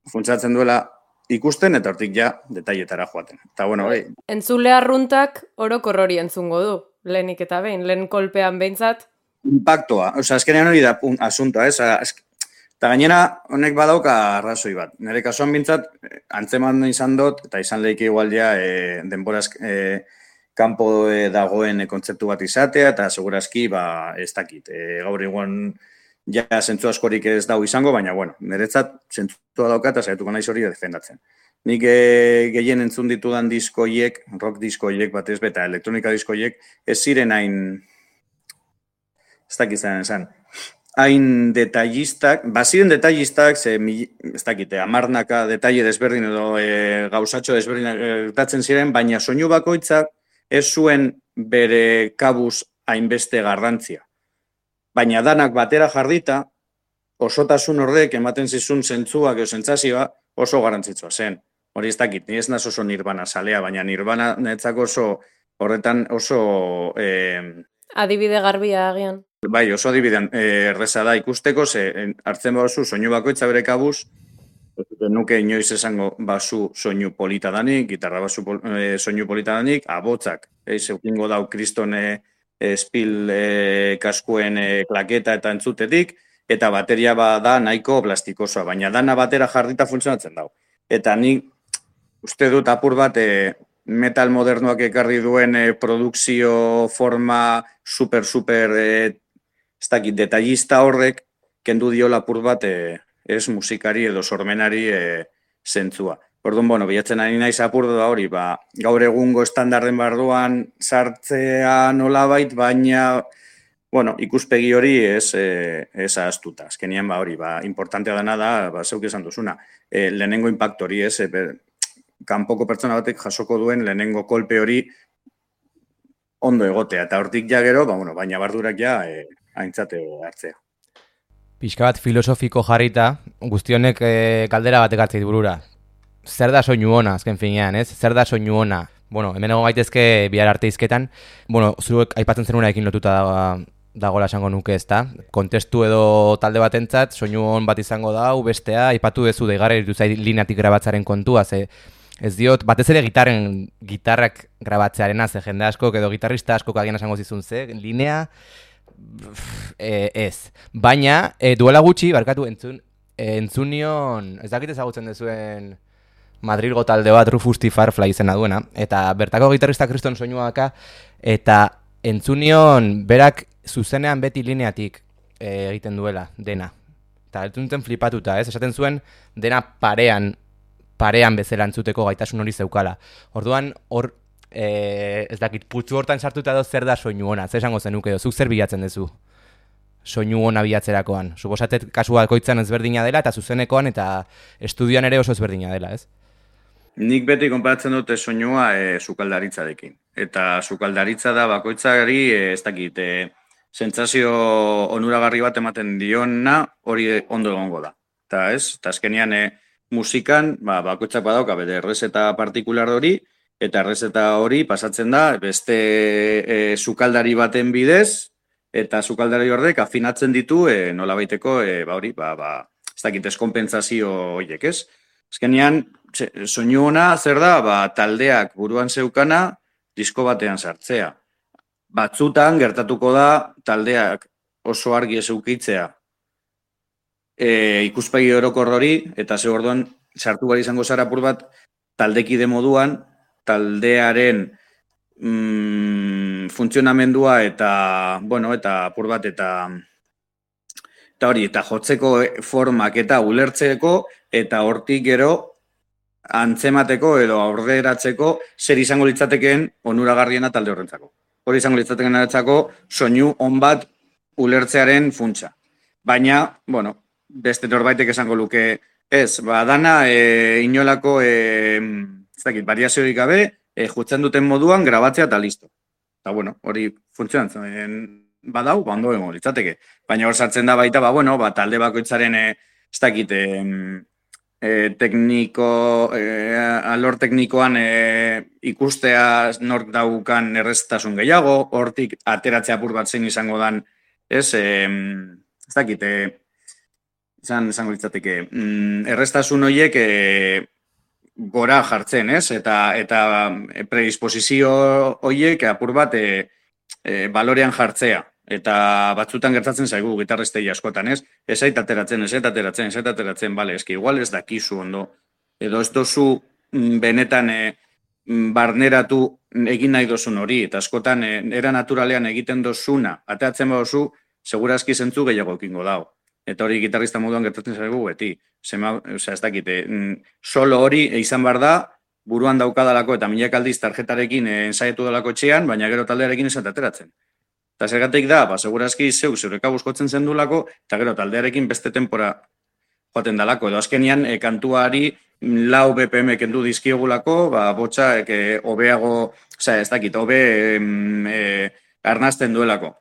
funtsatzen duela ikusten, eta hortik ja detailetara joaten. Eta, bueno, entzule arruntak orokor hori entzungo du, lehenik eta behin, lehen kolpean behintzat. Impactoa, azkenean hori da asuntoa, ez? Eta gainera, honek badauka arrazoi bat. Nire kasuan bintzat, antzeman izan dut, eta izan lehike igual ja denboraz kanpo dagoen kontzeptu bat izatea, eta segurazki, ez dakit. Gaur igual ja zentzu askorik ez dau izango, baina, bueno, niretzat zentzua dauka eta saiatuko naiz hori defendatzen. Nik gehien entzun ditudan diskoiek, rock diskoiek batez beta, elektronika diskoiek, ez ziren hain, ez dakit zan, hain detailistak, ziren detailistak, ez dakite, amarnaka detaile desberdin edo gauzatxo desberdin gertatzen ziren, baina soinu bakoitzak ez zuen bere kabuz hainbeste garrantzia. Baina danak batera jardita, osotasun horrek ematen zizun zentzuak edo zentzazioa oso garrantzitsua zen. Hori ez dakit, ni ez naz oso Nirvana salea, baina Nirvana netzako horretan oso... adibide garbia agian. Bai, oso adibidean erreza da ikusteko, hartzen bazu soinu bakoitza bere kabuz, nuke inoiz esango basu soinu polita danik, gitarra basu soinu polita danik, abotzak, zeukingo dau kriston espil kaskuen klaketa eta entzutetik, eta bateria da nahiko plastikosoa, baina dana batera jardita funtzionatzen dau. Eta nik uste dut apur bat metal modernoak ekarri duen produkzio forma super, ez dakit, detallista horrek, kendu diola apur bat ez musikari edo sormenari zentzua. Orduan, bueno, bilatzen ari naiz apur da hori, gaur egungo estandarden barruan sartzea nolabait, baina, bueno, ikuspegi hori ez ahaztuta. Azkenian, hori, importantea dana da, zeuk esan duzuna, lehenengo impacto hori, kanpoko pertsona batek jasoko duen lehenengo kolpe hori ondo egotea. Eta hortik ja gero, baina bardurak ja aintzate hartzea. Pixka bat filosofiko jarrita, guztionek kaldera batek hartzeit burura. Zer da soinu ona, azken finean, ez? Zer da soinu ona? Bueno, hemen egon gaitezke bihar arte izketan. Bueno, zuek aipatzen zenuekin lotuta da dagoela esango nuke, ezta? Kontestu edo talde batentzat soinu on bat izango da, bestea aipatu duzu deigarri ditu zait lineatik grabatzaren kontua, ze ez diot, batez ere gitarrak grabatzearena, ze jende askok edo gitarrista askok agian esango zizun, ze linea ez. Baina, duela gutxi, barkatu, entzunion, ez dakit ezagutzen dezuen Madrilgo talde bat Rufus T. Firefly izena duena, eta bertako gitarrista kriston soinua daka, eta entzunion berak zuzenean beti lineatik egiten duela, dena. Eta entzuntzen flipatuta, ez? Esaten zuen dena parean bezala entzuteko gaitasun hori zeukala. Orduan, hor, ez dakit, putzu hortan sartuta edo zer da soinu ona, zer esango zenuke edo, zuk zer bilatzen duzu soinu ona bilatzerakoan. Suposatet kasu bakoitzan ezberdina dela, eta zuzenekoan eta estudioan ere oso ezberdina dela, ez? Nik beti konparatzen dute soinua sukaldaritzarekin. Eta sukaldaritza da bakoitzari, ez dakit, sentsazio onuragarri bat ematen diona hori ondo egongo da. Eta ez, eta azkenean musikan bakoitzak badauka bere errezeta partikular hori, eta errezeta hori pasatzen da beste sukaldari baten bidez, eta sukaldari horrek afinatzen ditu nolabaiteko hori, ez dakit, eskonpentsazio horiek, ez? Azkenean, soinu ona zer da, taldeak buruan zeukana disko batean sartzea. Batzutan gertatuko da taldeak oso argi ez eukitzea ikuspegi orokor hori, eta ze orduan sartu bari izango zara apur bat taldekide moduan, taldearen funtzionamendua eta, bueno, eta apur bat eta hori, eta jotzeko formak eta ulertzeko, eta hortik gero antzemateko edo aurreratzeko zer izango litzatekeen onuragarriena talde horrentzako. Hori izango litzatekeen horrentzako soinu on bat ulertzearen funtsa. Baina, bueno, beste norbaitek esango luke ez, dana inolako ez dakit, variaziorik gabe, jutzen duten moduan grabatzea eta listo. Eta, bueno, hori funtzionatzen badau, ondo egongo litzateke. Baina hor sartzen da baita, talde bakoitzaren ez dakit, alor teknikoan ikustea nork daukan erreztasun gehiago, hortik ateratzea apur bat zein izango dan, ez dakit, izango litzateke, erreztasun horiek gora jartzen, ez? Eta predisposizio horiek apur bat balorean jartzea. Eta batzutan gertatzen zaigu gitarristei askotan, ez? Ez zait ateratzen, bale, eski igual ez dakizu ondo. Edo ez dozu benetan barneratu egin nahi dozun hori, eta askotan era naturalean egiten dozuna, ateratzen badozu, segurazki zentzu gehiago ekingo dago. Eta hori gitarrista moduan gertatzen zaigu beti. Ez dakite, solo hori izan behar da, buruan daukadalako eta milak aldiz tarjetarekin ensaietu dalako etxean, baina gero taldearekin ez ateratzen. Eta zergatik da, segurazki zeureka buskotzen zendulako, eta gero taldearekin beste tempora joaten dalako. Edo azkenian, kantuari 4 BPM kendu dizkiogulako, botxa hobeago, ez dakit, hobe arnazten duelako.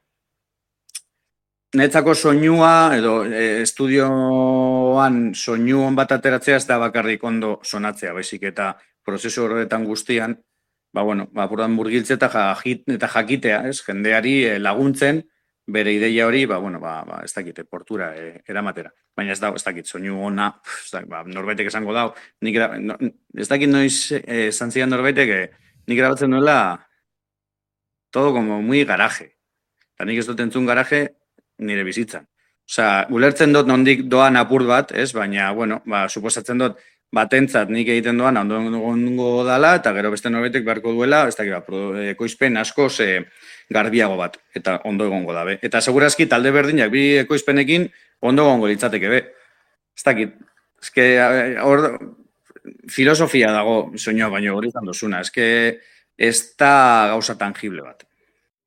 Netzako soinua, edo estudioan soinuon bat ateratzea ez da bakarrik ondo sonatzea, baizik eta prozesu horretan guztian, apurdan murgiltze eta jakitea, ez, jendeari laguntzen, bere ideia hori, ez dakit, portura eramatera. Baina ez dakit, soinu ona, norbaitek esango dau, ez dakit noiz zantzian norbaitek, nik grabatzen duela todo como muy garaje. Eta nik ez dut entzun garaje, nire bizitzan. Osea, ulertzen dut nondik doan apur bat, ez? Baina, suposatzen dut batentzat nik egiten doan ondo dala, eta gero beste norbaitek beharko duela, ez dakit, ekoizpen askoz garbiago bat, eta ondo egongo dabe. Eta segurazki talde berdinak bi ekoizpenekin ondo egongo litzateke be. Ez dakit, hor filosofia dago soinua baino hori izan dozuna, ez da gauza tangible bat.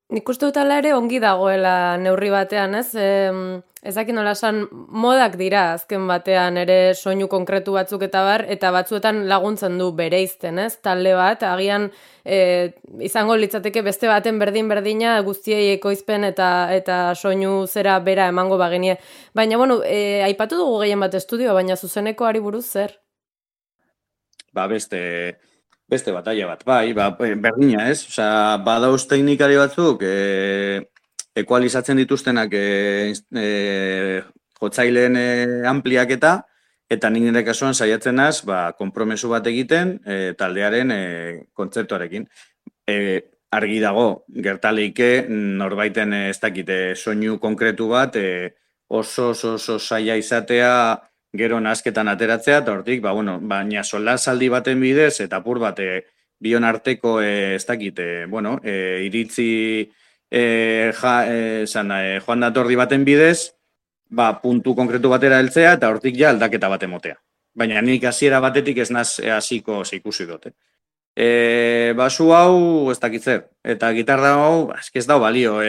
Nik uste dut ala ere ongi dagoela neurri batean, ez? Ezak nola esan modak dira azken batean ere soinu konkretu batzuk eta bar, eta batzuetan laguntzen du bereizten, ez? Talde bat, agian izango litzateke beste baten berdina guztiei ekoizpen eta soinu zera bera emango bagenie. Baina, aipatu dugu gehien bat estudio, baina zuzenekoari buruz zer? Beste batalla bat, berdina, ez? Osea, badauz teknikari batzuk, ekualizatzen dituztenak jotzaileen ampliaketa, eta nik nire kasuan saiatzen naz, konpromesu bat egiten taldearen kontzeptuarekin. Argi dago, gertaleike norbaiten ez dakite soinu konkretu bat oso saia izatea gero nazketan ateratzea, eta hortik, baina solasaldi baten bidez, eta apur bat bion arteko ez dakite, iritzi joan datordi baten bidez, puntu konkretu batera heltzea, eta hortik ja aldaketa bat emotea. Baina nik hasiera batetik ez naz hasiko ikusi dute. Basu hau ez dakitzer, eta gitarra hau ez dau balio,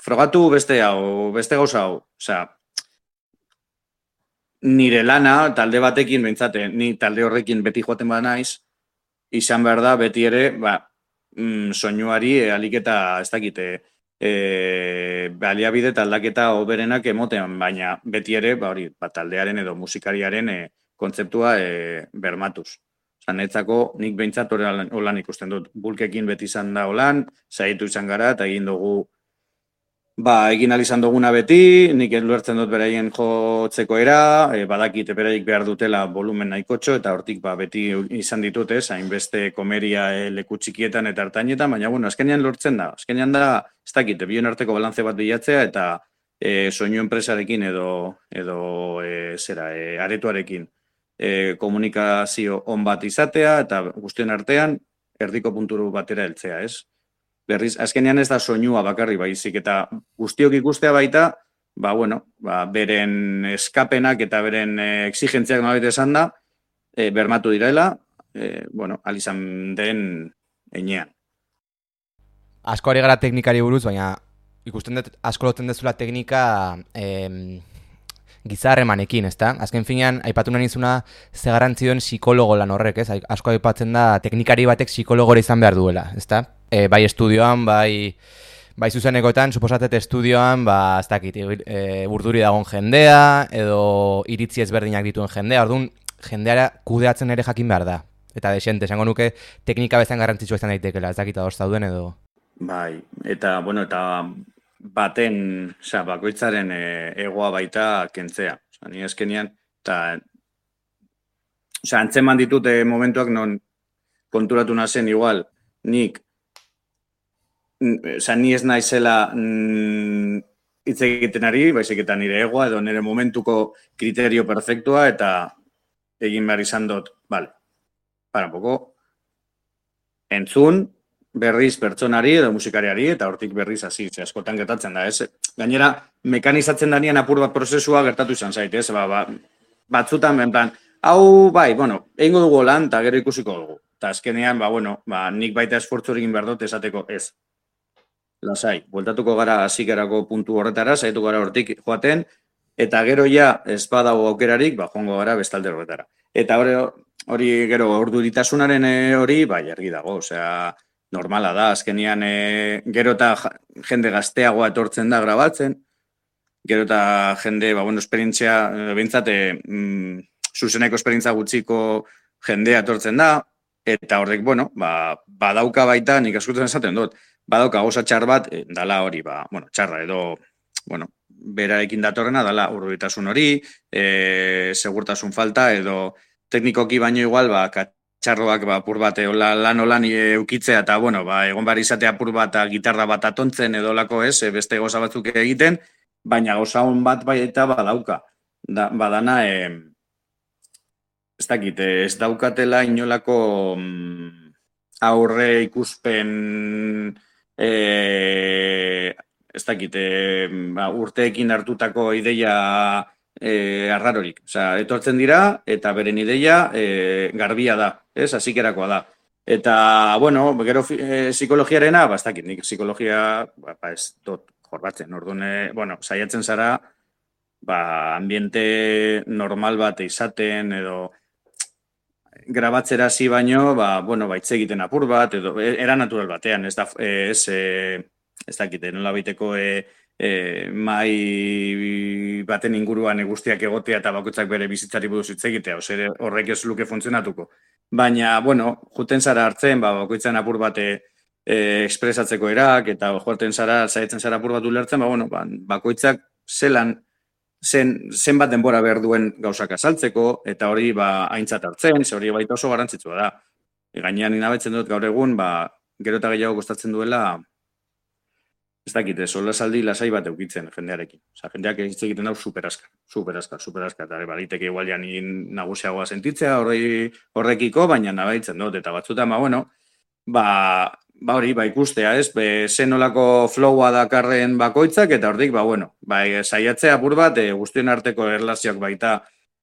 frogatu beste gauza hau, osea, nire lana talde batekin behintzate, ni talde horrekin beti joaten naiz, izan behar da beti ere, soinuari aliketa ez dakite, baliabide eta aldaketa hoberenak emotean, baina beti ere, taldearen edo musikariaren kontzeptua bermatuz. Netzako nik behintzat holan ikusten dut. Bulkekin beti izan da holan, saiatu izan gara, eta egin dugu, egin alizan duguna beti, nik luertzen dut beraien jotzeko badakite beraik behar dutela volumen nahikotxo, eta hortik beti izan ditut, hainbeste komeria leku txikietan eta hartainetan, baina, azkenean lortzen da. Azkenean da, ez dakite, bion arteko balantze bat bilatzea, eta soinu enpresarekin edo aretoarekin komunikazio on bat izatea, eta guztien artean, erdiko punturu batera heltzea, ez? Berriz, azkenean ez da soinua bakarri baizik, eta guztiok ikustea baita, beren eskapenak eta beren exigentziak nolabait esan da, bermatu direla, alizan den enean. Asko ari gara teknikari buruz, baina ikusten dut asko lotzen dezula teknika gizarremanekin, ezta? Azken finean, aipatu nahi nizuna ze garrantzi duen psikologo lan horrek, ez? Asko aipatzen da teknikari batek psikologora izan behar duela, ezta? Bai estudioan, bai zuzenekoetan, suposatet estudioan, ez dakit, urduri dagoen jendea, edo iritzi ezberdinak dituen jendea, orduan jendeara kudeatzen ere jakin behar da. Eta desente, esango nuke teknika bezan garrantzitsua izan daitekela, ez dakit ados zauden edo... Bai, eta baten, bakoitzaren egoa baita kentzea. Ni azkenean, eta antzeman ditute momentuak non konturatu nazen igual, ni ez naizela hitz egiten ari, baizik eta nire egoa edo nire momentuko kriterio perfektua, eta egin behar izan dut, para poco, entzun, berriz pertsonari edo musikariari, eta hortik berriz hasi, askotan gertatzen da, ez? Gainera, mekanizatzen danien apur bat prozesua gertatu izan zait, ez? Batzutan, benplan, hau, egingo dugu lan, eta gero ikusiko dugu. Eta azkenean, nik baita esfortzu egin behar dut esateko ez. Lasai, bueltatuko gara hasikerako puntu horretara, saiatu gara hortik joaten, eta gero ja, ez badago aukerarik, joango gara bestalde horretara. Eta hori gero, orduritasunaren hori, argi dago, osea, normala da, azkenean gero eta jende gazteagoa etortzen da grabatzen, gero eta jende, esperientzia, bintzate, zuzeneko esperientzia gutxiko jendea etortzen da, eta horrek, badauka baita, nik askotan esaten dut, badauka gauza txar bat, dala hori, txarra edo, berarekin datorrena, dala urduritasun hori, segurtasun falta, edo teknikoki baino igual, txarroak apur bat lan eukitzea eta egon behar izatea apur bat gitarra bat atontzen edo lako ez, beste goza batzuk egiten, baina goza hon bat baita badauka. Badana, ez dakit, ez daukatela inolako aurre ikuspen, ez dakit, urteekin hartutako ideia arrarorik. Osea, etortzen dira, eta beren ideia garbia da, ez, hasikerakoa da. Eta, gero psikologiarena, ez dakit, nik psikologia, ez dut jorbatzen, orduan, saiatzen zara, ambiente normal bat izaten, edo grabatzera hasi baino, hitz egiten apur bat, edo era natural batean, ez dakit, nola baiteko mai baten inguruan guztiak egotea eta bakoitzak bere bizitzari buruz hitz egitea, horrek ez luke funtzionatuko. Baina, juten zara hartzen, bakoitzan apur bate ekspresatzeko erak, eta joaten zara, zaitzen zara apur bat ulertzen, bueno, bakoitzak zenbat denbora behar duen gauzak azaltzeko, eta hori aintzat hartzen, ze hori baita oso garrantzitsua da. Gainean inabetzen dut gaur egun, gero eta gehiago kostatzen duela, ez dakit, solasaldi lasai bat eukitzen jendearekin. Osa, jendeak hitz egiten dau superaskar, eta baliteke igual ja ni nagusiagoa sentitzea horrekiko, baina nabaitzen dut, eta batzutan, hori, ikustea, ez? Zenolako flowa dakarren bakoitzak, eta hortik, saiatzea apur bat, guztien arteko erlazioak baita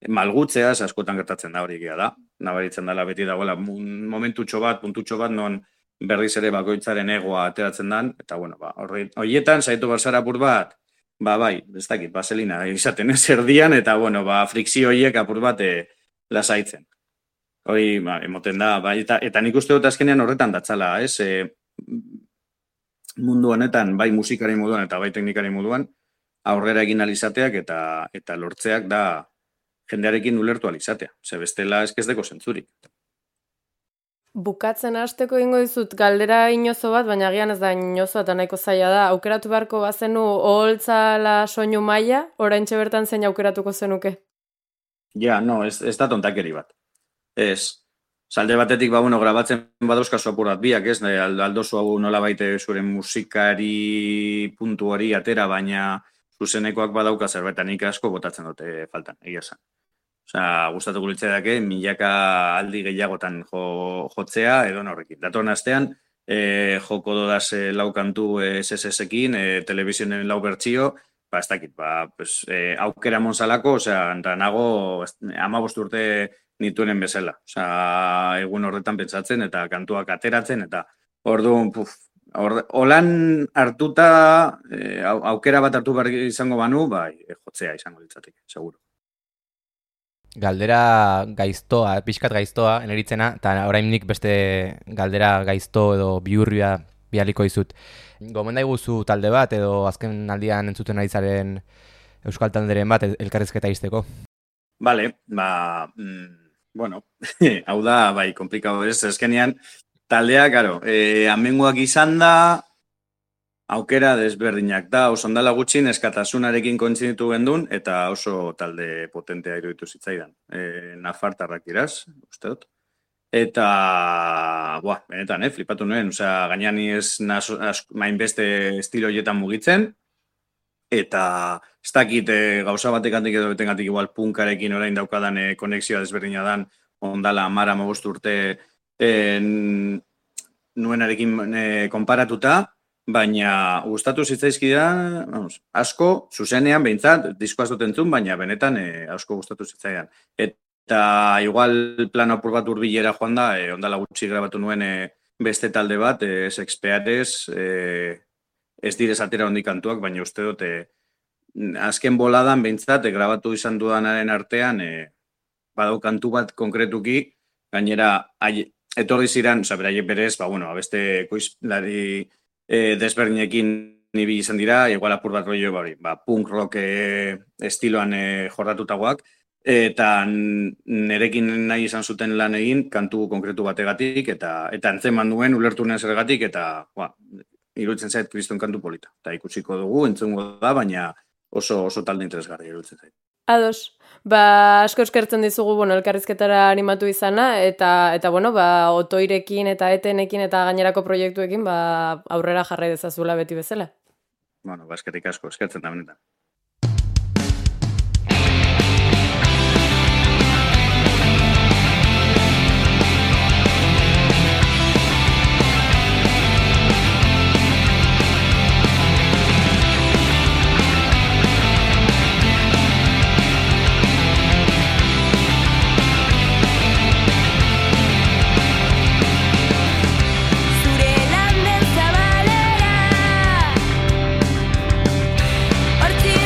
malgutzea, askotan gertatzen da hori egia da. Nabaritzen dela beti dagoela momentutxo bat, puntutxo bat, non berriz ere bakoitzaren egoa ateratzen dan, eta horietan, saiatu barzara apur bat, ez dakit, baselina izaten ez erdian, eta frikzio horiek apur bat lasaitzen. Hori, emoten da, eta nik uste dut azkenean horretan datzala, ez? Mundu honetan, bai musikari moduan eta bai teknikari moduan, aurrera egin alizateak eta lortzeak da jendearekin ulertu alizatea. Ze bestela eskezdeko zentzurik. Bukatzen hasteko egingo dizut galdera inozo bat, baina agian ez da inozoa eta nahiko zaila da. Aukeratu beharko bazenu oholtzala soinu maila, oraintxe bertan zein aukeratuko zenuke? Ja, no, ez da tontakeri bat. Ez, salde batetik, grabatzen badauzkazu apur bat biak, ez? Aldozu hau nola baite zure musikari puntu hori atera, baina zuzenekoak badauka zerbait, nik asko botatzen dute faltan, egia esan. Osea, gustatuko litzaidake milaka aldi gehiagotan jotzea edo horrekin. Datorren astean joko dodaz lau kantu SSS-ekin, telebizionen lau bertsio, ez dakit, aukera monsalako, osea, nago 15 urte nituenen bezala. Osea, egun horretan pentsatzen eta kantuak ateratzen eta orduan, holan hartuta, aukera bat hartu behar izango banu, jotzea izango litzateke, seguro. Galdera gaiztoa, pixkat gaiztoa, eneritzena, eta orain nik beste galdera gaizto edo bihurria bialiko dizut. Gomenda iguzu talde bat edo azken aldian entzuten ari zaren euskal talderen bat elkarrizketa izteko? Bale, bueno, hau da, komplikado ez, eskenean, taldea, karo, amenguak izan da, aukera desberdinak da, oso ondala gutxin eskatasunarekin kontziditu gendun, eta oso talde potentea iruditu zitzaidan. Nafartarrak iraz, uste dut. Eta, benetan, flipatu nuen, gainean ez mainbeste estilo hietan mugitzen, eta ez dakit gauza batekantik edo betengatik igual punkarekin orain daukadan konexioa desberdina dan, ondala 15 urte nuenarekin konparatuta, baina gustatu zitzaizkidan, asko, zuzenean, behintzat, diskoaz dut entzun, baina benetan asko gustatu zitzaidan. Eta igual plan apur bat hurbilera joan da, ondala gutxi grabatu nuen beste talde bat, Sexpeares, ez direz atera hondik kantuak, baina uste dut, azken boladan behintzat, grabatu izan dudanaren artean, badau kantu bat konkretuki, gainera, etorri ziren, beraie berez, beste koizlari desberdinekin nibi izan dira, igual apur bat rollo punk rock estiloan jorratutagoak, eta nerekin nahi izan zuten lan egin kantu konkretu bategatik, eta antzeman duen ulertu nuen zergatik, eta iruditzen zait kriston kantu polita. Eta ikusiko dugu, entzungo da, baina oso talde interesgarri iruditzen zait. Ados, asko eskertzen dizugu, elkarrizketara animatu izana, eta otoirekin eta etenekin eta gainerako proiektuekin, aurrera jarrai dezazula beti bezala. Eskerrik asko, eskertzen da benetan. Hortzik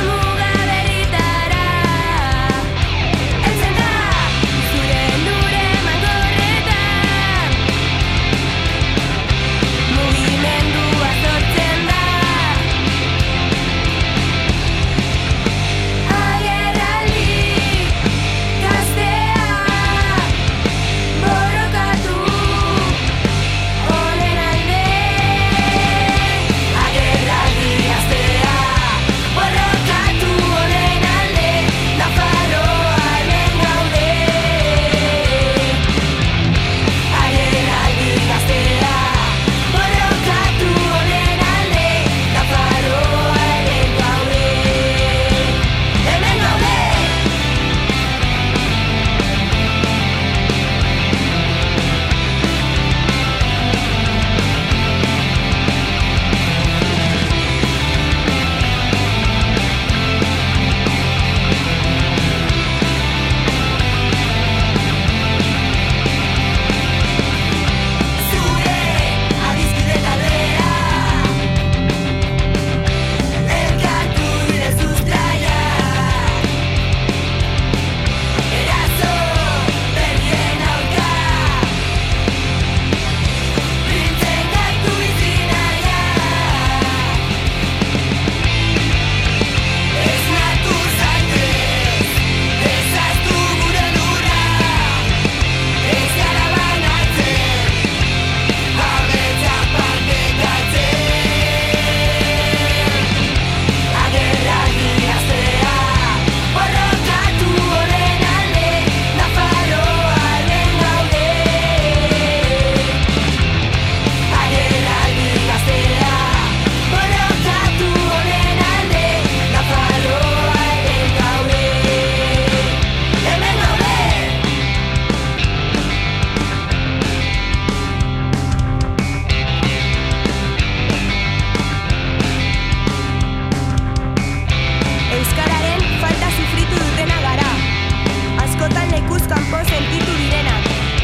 asko sentitu direnak,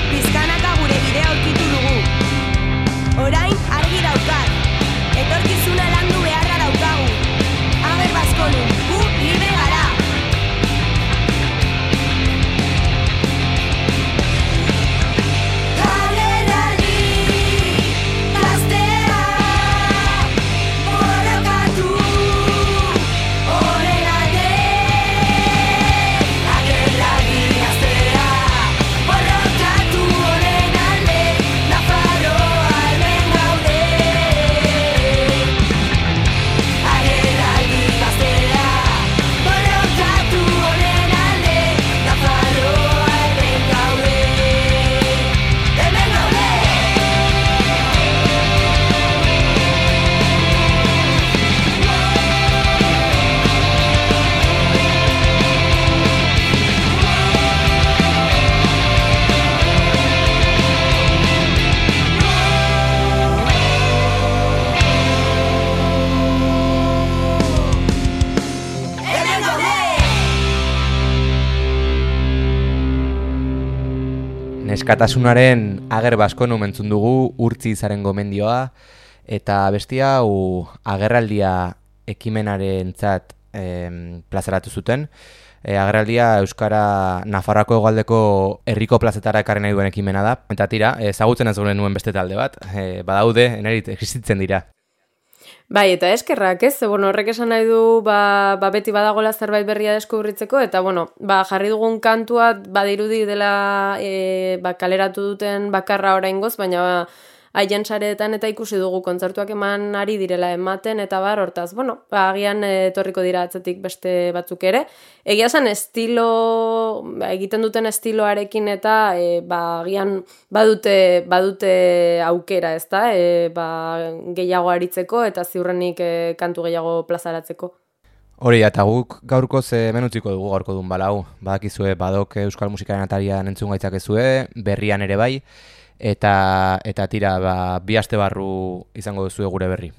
pizkanaka gure bidea aurkitu dugu. Orain argi daukat, etorkizuna landu beharra daukagu. Ager Baskonu, gu libre gara. Neskatasunaren Ager Baskonu mentzun dugu Urtzi Izaren gomendioa, eta bestia hau agerraldia ekimenarentzat plazaratu zuten. Agerraldia Euskara Nafarroako hegoaldeko herriko plazetara ekarri nahi duen ekimena da. Eta tira, ezagutzen ez nuen beste talde bat, badaude, enerit existitzen dira. Bai, eta eskerrak, ez? Horrek esan nahi du, beti badagola zerbait berria deskubritzeko, eta, jarri dugun kantua badirudi dela kaleratu duten bakarra oraingoz, baina haien sareetan eta ikusi dugu kontzertuak eman ari direla ematen, eta hortaz, agian etorriko dira atzetik beste batzuk ere. Egia esan egiten duten estiloarekin eta agian badute aukera, ezta? Gehiago aritzeko eta ziurrenik kantu gehiago plazaratzeko. Hori, eta guk gaurkoz hemen utziko dugu gaurko dun balau. Badakizue badok Euskal Musikaren atarian entzun gaitzakezue, berrian ere bai, eta tira, bi aste barru izango duzue gure berri.